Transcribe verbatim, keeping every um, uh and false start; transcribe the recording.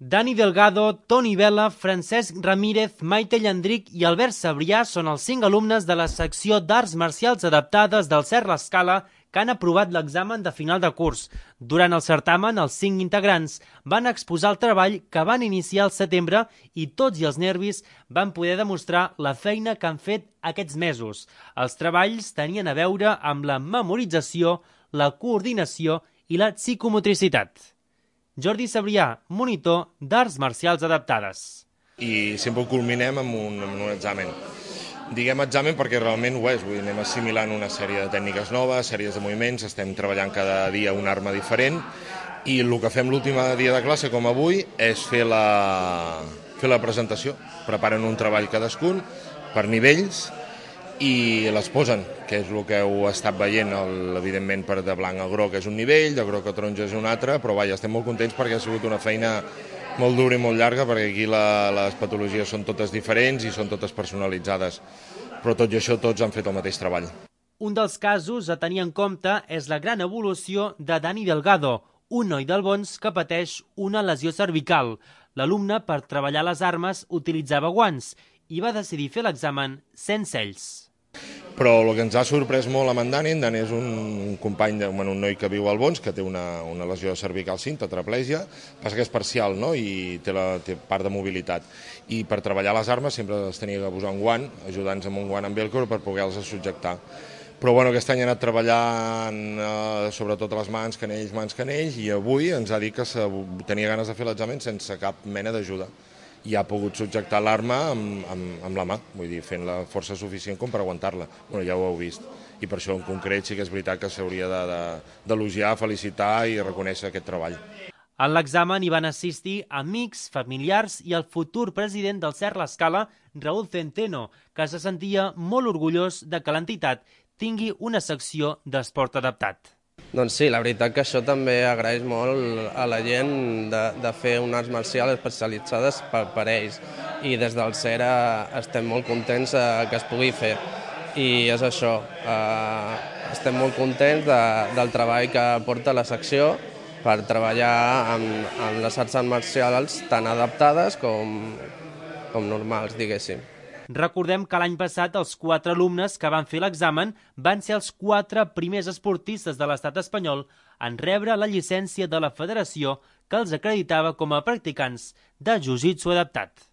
Dani Delgado, Toni Vela, Francesc Ramírez, Maite Llandric i Albert Sabrià són els cinc alumnes de la secció d'Arts Marcials Adaptades del Cert l'Escala que han aprovat l'examen de final de curs. Durant el certamen, els cinc integrants van exposar el treball que van iniciar al setembre i tots i els nervis van poder demostrar la feina que han fet aquests mesos. Els treballs tenien a veure amb la memorització, la coordinació i la psicomotricitat. Jordi Sabrià, monitor d'Arts Marcials Adaptades. I sempre ho culminem amb un, amb un examen. Diguem examen perquè realment ho és, vull dir, anem assimilant una sèrie de tècniques noves, sèries de moviments, estem treballant cada dia una arma diferent i el que fem l'últim dia de classe, com avui, és fer la, fer la presentació. Preparen un treball cadascun per nivells i les posen, que és el que heu estat veient, el, evidentment per de blanc a groc és un nivell, de groc a taronja és un altre, però vaja, estem molt contents perquè ha sigut una feina molt dura i molt llarga, perquè aquí la, les patologies són totes diferents i són totes personalitzades, però tot i això tots han fet el mateix treball. Un dels casos a tenir en compte és la gran evolució de Dani Delgado, un noi d'Albons que pateix una lesió cervical. L'alumne, per treballar les armes, utilitzava guants i va decidir fer l'examen sense ells. Però el que ens ha sorprès molt amb en Dani, en Dani és un company, de, un noi que viu al Albons, que té una, una lesió cervical cinta, tetraplègia, passa que és parcial, no?, i té, la, té part de mobilitat. I per treballar les armes sempre les tenia que posar un guant, ajudant-nos amb un guant amb velcro per poder-les subjectar. Però bueno, aquest any ha anat treballant eh, sobretot a les mans, canells, mans, canells, i avui ens ha dit que tenia ganes de fer l'examen sense cap mena d'ajuda. I ha pogut subjectar l'arma amb, amb, amb la mà, vull dir, fent la força suficient com per aguantar-la. Bueno, ja ho heu vist. I per això en concret sí que és veritat que s'hauria d'elogiar, de, de, felicitar i reconèixer aquest treball. En l'examen hi van assistir amics, familiars i el futur president del Cert l'Escala, Raúl Centeno, que se sentia molt orgullós de que l'entitat tingui una secció d'esport adaptat. Doncs sí, la veritat que això també agraeix molt a la gent de, de fer unes arts marcials especialitzades per, per ells. I des del CERA estem molt contents eh, que es pugui fer. I és això, eh, estem molt contents de, del treball que porta la secció per treballar amb, amb les arts marcials tan adaptades com, com normals, diguéssim. Recordem que l'any passat els quatre alumnes que van fer l'examen van ser els quatre primers esportistes de l'estat espanyol en rebre la llicència de la federació que els acreditava com a practicants de jiu-jitsu adaptat.